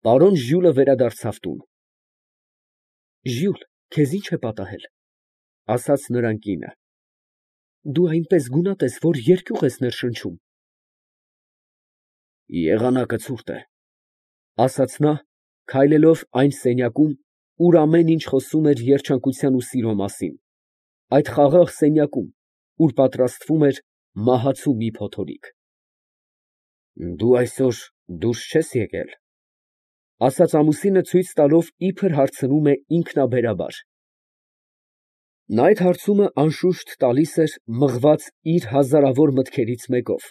Պարոն Ժյուլը վերադարձավ տուն։ Ժյուլ, քեզ ի՞նչ է պատահել, ասաց նրան կինը։ Դու այնպես գունատ ես, որ երկյուղ ես ներշնչում։ Եղանակը ցուրտ է, ասաց նա, քայլելով այն սենյակում, ուր ամեն ինչ խոսում էր երջանկության ու սիրո մասին, այդ խաղաղ սենյակում, ուր պատրաստվում էր մահացու մի փոթորիկ։ Դու այսօր դուրս չես եկել, ասաց ամուսինը ցույց տալով, իբր հարցնում է ինքնաբերաբար։ Նա այդ հարցումը անշուշտ տալիս էր մղված իր հազարավոր մտքերից մեկով,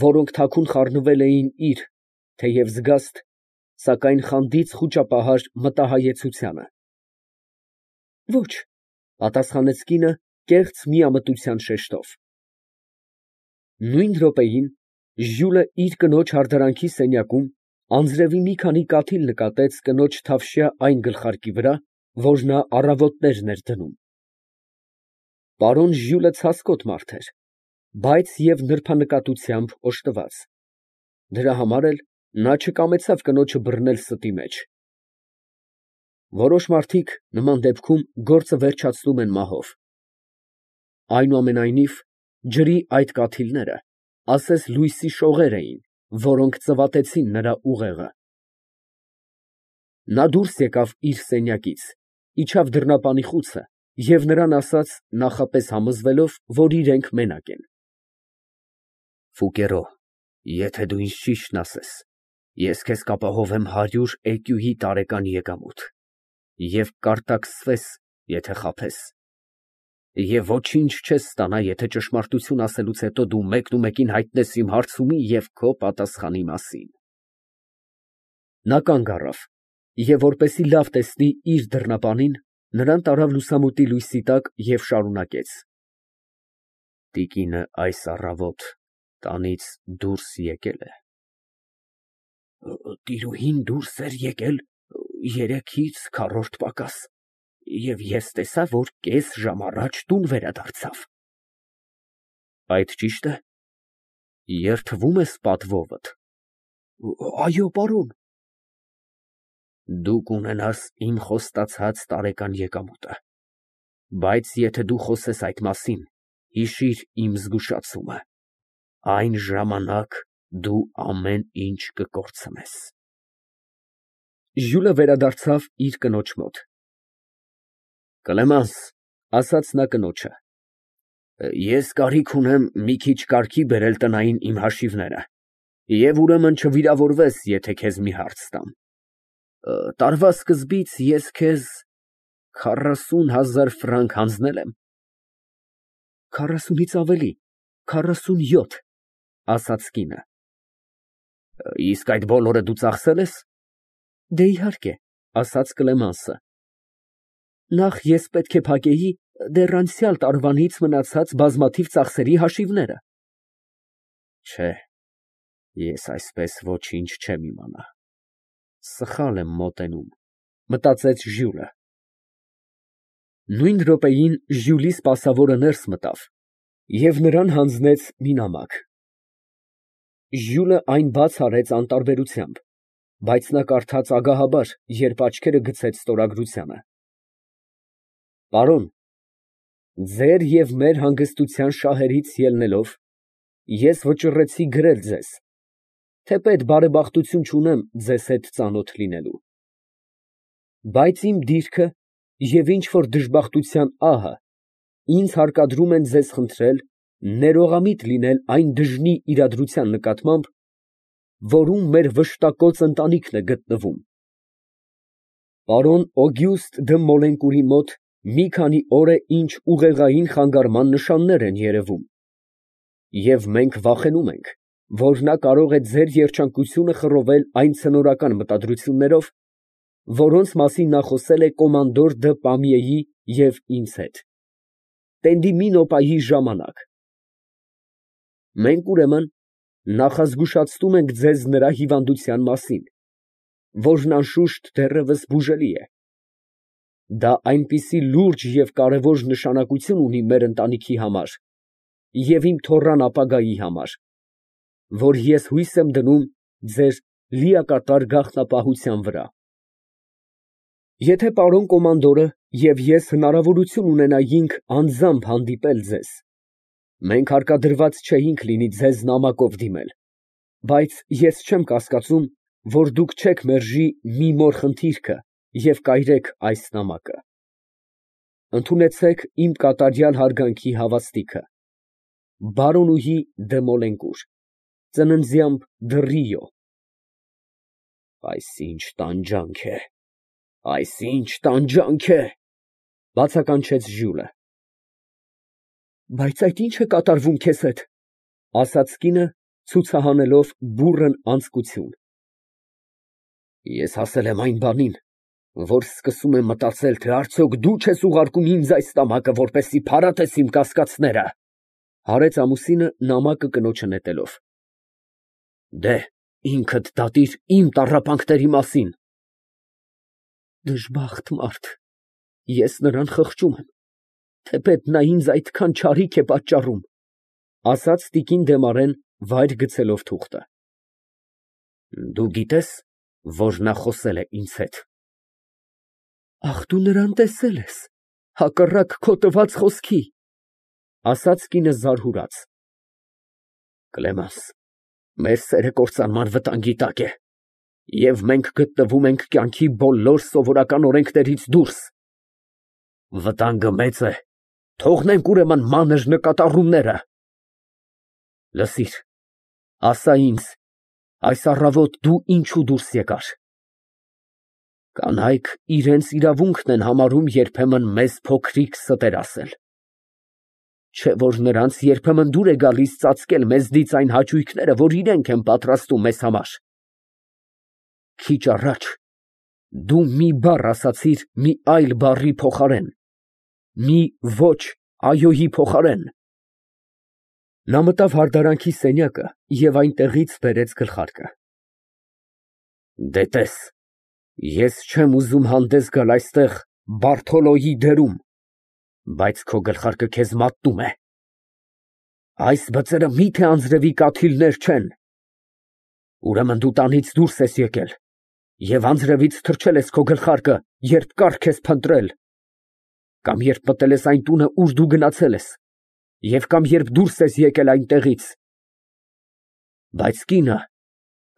որոնք թաքուն խառնվել էին իր, թեև զգաստ, սակայն խանդից խուճապահար մտահայեցությանը։ Ոչ, պատասխանեց կինը կեղծ միամտության շեշտով։ Նույն րոպեին Ժյուլը իր կնոջ հարդարանքի սենյակում անձրևի մի քանի կաթիլ նկատեց կնոջ թավշյա այն գլխարկի վրա, որ նա առավոտներն էր դնում։ Պարոն Ժյուլը ցասկոտ մարդ էր, բայց և նրբանկատությամբ օժտված։ Դրա համար էլ նա չկամեցավ կնոջը բռնել ստի մեջ։ Որոշ մարդիկ նման դեպքում գործը վերջացնում են մահով։ Այնուամենայնիվ, ջրի այդ կաթիլները ասես լույսի շողեր էին, որոնք ծվատեցին նրա ուղեղը։ Նա դուրս եկավ իր սենյակից, իջավ դռնապանի խուցը և նրան ասաց, նախապես համոզվելով, որ իրենք մենակ են. Ֆուկերո, եթե դու ինձ ճիշտն ասես, ես քեզ կապահովեմ 100 էկյուի տարեկան եկամուտ և կարտաքսվես, եթե խաբես, և ոչինչ չես ստանա, եթե ճշմարտություն ասելուց հետո դու մեկնումեկին հայտնես իմ հարցումի և քո պատասխանի մասին։ Նա կանգ առավ և, որպեսզի լավ տեսնի իր դռնապանին, նրան տարավ լուսամուտի լույսի տակ և շարունակեց. Տիկինը այս առավոտ տանից դուրս եկել է։ Տիրուհին դուրս էր եկել 3-ից 4 պակաս, և ես տեսա, որ կես ժամ առաջ տուն վերադարձավ։ Այդ ճի՞շտ է։ Երդվում ես պատվովդ։ Այո, պարոն։ Դու կունենաս իմ խոստացած տարեկան եկամուտը, բայց եթե դու խոսես այդ մասին, հիշիր իմ զգուշացումը, այն ժամանակ դու ամեն ինչ կկորցնես։ Ժյուլը վերադարձավ իր կնոջ մոտ։ Կլեմանս, ասաց նա կնոջը, ես կարիք ունեմ մի քիչ կարգի բերել տնային իմ հաշիվները, և ուրեմն չվիրավորվես, եթե քեզ մի հարց տամ։ Տարվա սկզբից ես քեզ 40,000 ֆրանկ հանձնել եմ։ 40-ից ավելի, 47, ասաց կինը։ Իսկ այդ բոլորը դու ծախսե՞լ ես։ Դե իհարկե, ասաց Կլեմանսը։ Նախ ես պետք է փակեի դեռ անցյալ տարվանից մնացած բազմաթիվ ծախսերի հաշիվները։ Չէ, ես այսպես ոչինչ չեմ իմանա։ Սխալ եմ մոտենում, մտածեց Ժյուլը։ Նույն րոպեին Ժյուլի սպասավորը ներս մտավ և նրան հանձնեց մի նամակ։ Ժյուլը այն բաց արեց անտարբերությամբ, բայց նա կարդաց ագահաբար, երբ աչքերը գցեց ստորագրությանը։ Պարոն, ձեր և մեր հանգստության շահերից ելնելով, ես վճռեցի գրել ձեզ, թեպետ բարեբախտություն չունեմ ձեզ հետ ծանոթ լինելու։ Բայց իմ դիրքը և ինչ֊որ դժբախտության ահը ինձ հարկադրում են ձեզ խնդրել ներողամիտ լինել այն դժնի իրադրության նկատմամբ, որում մեր վշտակոծ ընտանիքն է գտնվում։ Պարոն Օգյուստը դը Մոլենկուրի մոտ մի քանի օր է ինչ ուղեղային խանգարման նշաններ են երևում, և մենք վախենում ենք, որ նա կարող է ձեր երջանկությունը խռովել այն ցնորական մտադրություններով, որոնց մասին նա խոսել է կոմանդոր դը Պամիեի և ինձ հետ, Տենդիմինոպայի ժամանակ։ Մենք, ուրեմն, նախազգուշացնում ենք ձեզ նրա հիվանդության մասին, որն անշուշտ դեռևս բուժելի է։ Դա այնպիսի լուրջ և կարևոր նշանակություն ունի մեր ընտանիքի համար և իմ թոռան ապագայի համար, որ ես հույս եմ դնում ձեր լիակատար գաղտնապահության վրա։ Եթե պարոն կոմանդորը և ես հնարավորություն ունենայինք անձամբ հանդիպել ձեզ, մենք հարկադրված չէինք լինի ձեզ նամակով դիմել, բայց ես չեմ կասկածում, որ դուք չեք մերժի մի մոր խնդիրքը և կայրեք այս նամակը։ Ընդունեցեք իմ կատարյալ հարգանքի հավաստիքը։ Բարոնուհի դը Մոլենկուր, ծննդյան Դռիո։ Այս ինչ տանջանք է, այս ինչ տանջանք է, բացականչեց Ժյուլը։ Բայց այդ ի՞նչ է կատարվում քեզ հետ, ասաց կինը, ցուցահանելով բուռն անձկություն։ Ես հասել եմ այն բանին, որ սկսում եմ մտածել, թե արդյոք դու չես ուղարկում ինձ այս նամակը, որպեսզի փարատես իմ կասկածները, հարեց ամուսինը նամակը կնոջը նետելով։ Դե, ինքդ դատիր իմ տառապանքների մասին։ Դժբախտ մարդ, ես նրան խղճում եմ, թեպետ նա ինձ այդքան չարիք է պատճառում, ասաց տիկին Դեմարեն վայր գցելով թուղթը։ Դու գիտես, որ նա խոսել է ինձ հետ։ Ախ, դու նրան տեսել ես, հակառակ քո տված խոսքի, ասաց կինը զարհուրած։ Կլեմանս, մեր սերը կործանման վտանգի տակ է, և մենք գտնվում ենք կյանքի բոլոր սովորական օրենքներից դուրս։ Վտանգը մեծ է, թողնենք ուրեմն մանր նկատառումները։ Լսիր, ասա ինձ, այս առավոտ դու ինչու դուրս եկար։ Կանայք իրենց իրավունքն են համարում երբեմն մեզ փոքրիկ ստեր ասել։ Չէ՞ որ նրանց երբեմն դուր է գալիս ծածկել մեզնից այն հաճույքները, որ իրենք են պատրաստում մեզ համար։ Քիչ առաջ դու մի բառ ասացիր մի այլ բառի փոխարեն, մի ոչ այոյի փոխարեն։ Նա մտավ հարդարանքի սենյակը և այնտեղից բերեց գլխարկը։ Դե տես, ես չեմ ուզում հանդես գալ այստեղ Բարթոլոյի դերում, բայց քո գլխարկը քեզ մատնում է։ Այս բծերը մի՞թե անձրևի կաթիլներ չեն։ Ուրեմն դու տանից դուրս ես եկել և անձրևից թրջել ես քո գլխարկը, երբ կառք ես փնտրել, կամ երբ մտել ես այն տունը, ուր դու գնացել ես, և կամ երբ դուրս ես եկել այնտեղից։ Բայց կինը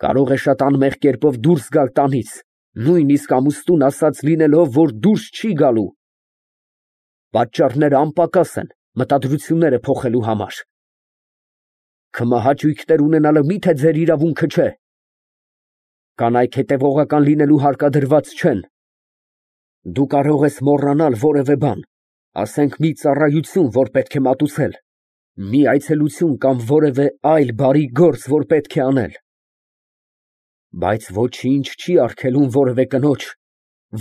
կարող է շատ անմեղ կերպով դուրս գալ տանից, նույնիսկ ամուսնուն ասած լինելով, որ դուրս չի գալու։ Պատճառները անպակաս են մտադրությունները փոխելու համար։ Քմահաճույքներ ունենալը մի՞թե ձեր իրավունքը չէ։ Կանայք հետևողական լինելու հարկադրված չեն։ Դու կարող ես մոռանալ որևէ բան, ասենք մի ծառայություն, որ պետք է մատուցել, մի այցելություն կամ որևէ այլ բարի գործ, որ պետք է անել։ Բայց ոչինչ չի արգելում որևէ կնոջ,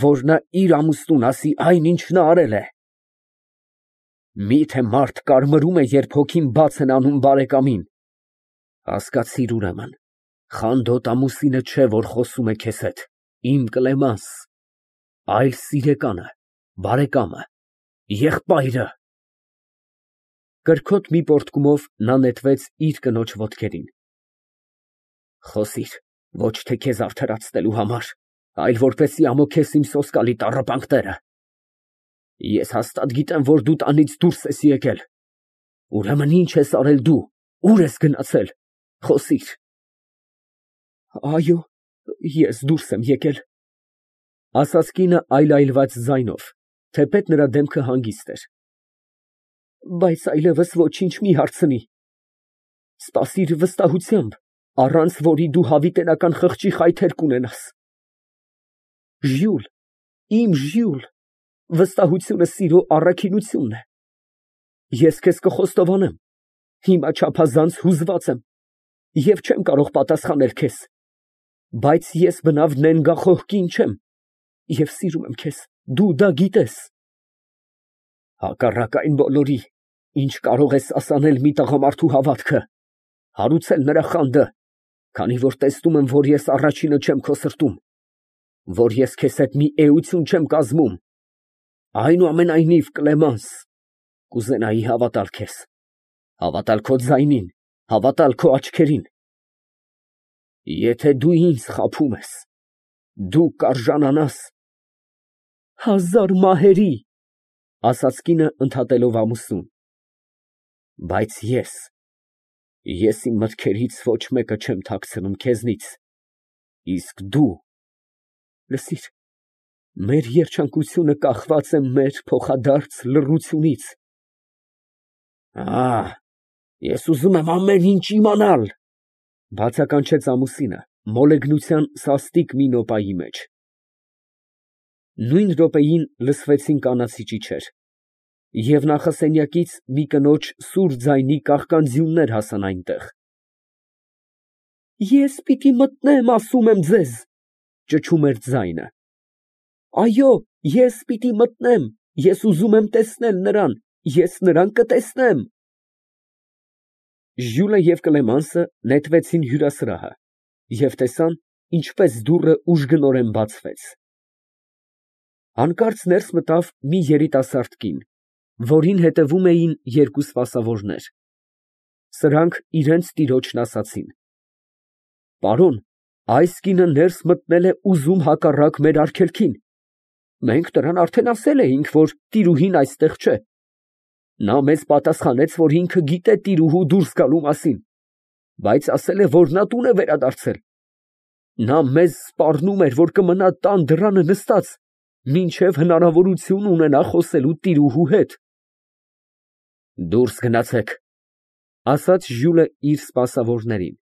որ նա իր ամուսնուն ասի այն, ինչ նա արել է։ Մի՞թե մարդ կարմրում է, երբ հոգին բաց են անում բարեկամին։ Հասկացիր ուրեմն, խանդոտ ամուսինը չէ, որ խոսում է քեզ հետ, իմ Կլեմանս, այլ սիրեկանը, բարեկամը, եղբայրը։ Կրքոտ մի պոռթկումով նա նետվեց իր կնոջ ոտքերին։ Խոսիր, ոչ թե քեզ արդարացնելու համար, այլ որպեսզի ամոքես իմ սոսկալի տառապանքները։ Ես հաստատ գիտեմ, որ դու տանից դուրս ես եկել։ Ուրեմն ինչ ես արել դու, ուր ես գնացել, խոսիր։ Այո, ես դուրս եմ եկել, ասաց կինը այլայլված ձայնով, թեպետ նրա դեմքը հանգիստ էր։ Բայց այլևս ոչինչ մի հարցնի։ Սպասիր վստահությամբ, առանց որի դու հավիտենական խղճի խայթեր կունենաս։ Ժյուլ, իմ Ժյուլ, վստահությունը սիրո առաքինությունն է։ Ես քեզ կխոստովանեմ, հիմա չափազանց հուզված եմ և չեմ կարող պատասխանել քեզ, բայց ես բնավ նենգախոհ կին չեմ և սիրում եմ քեզ, դու դա գիտես։ Հակառակ այն բոլորի, ինչ կարող ես ասանել մի տղամարդու հավատքը, հարուցել նրա խանդը, քանի որ տեսնում եմ, որ ես առաջինը չեմ քո սրտում, որ ես քեզ հետ մի էություն չեմ կազմում։ Այնուամենայնիվ, Կլեմանս, կուզենայի հավատալ քեզ, հավատալ քո ձայնին, հավատալ քո աչքերին։ Եթե դու ինձ խաբում ես, դու կարժանանաս 1000 մահերի, ասաց կինը ընդհատելով ամուսնուն, բայց ես իմ մտքերից ոչ մեկը չեմ թաքցնում քեզնից, իսկ դու, լսիր, մեր երջանկությունը կախված է մեր փոխադարձ լռությունից։ Ես ուզում եմ ամեն ինչ իմանալ, բացականչեց ամուսինը մոլեգնության սաստիկ մի նոպայի մեջ։ Նույն րոպեին լսվեցին կանացի ճիչեր, և նախասենյակից մի կնոջ սուր ձայնի կաղկանձյուններ հասան այնտեղ։ Ես պիտի մտնեմ, ասում եմ ձեզ, ճչում էր ձայնը։ Այո, ես պիտի մտնեմ, ես ուզում եմ տեսնել նրան, ես նրան կտեսնեմ։ Ժյուլը և Կլեմանսը նետվեցին հյուրասրահը և տեսան, ինչպես դուռը ուժգնորեն բացվեց։ Հանկարծ ներս մտավ մի երիտասարդ կին, որին հետևում էին երկու սպասավորներ։ Սրանք իրենց տիրոջն ասացին. Պարոն, այս կինը ներս մտնել է ուզում հակառակ մեր արգելքին։ Մենք նրան արդեն ասել էինք, որ տիրուհին այստեղ չէ։ Նա մեզ պատասխանեց, որ ինքը գիտե տիրուհու դուրս գալու մասին, բայց ասել է, որ նա տուն է վերադարձել։ Նա մեզ սպառնում էր, որ կմնա տան դռանը նստած, մինչև հնարավորություն ունենա խոսելու տիրուհու հետ։ Դուրս գնացեք, ասաց Ժյուլը իր սպասավորներին։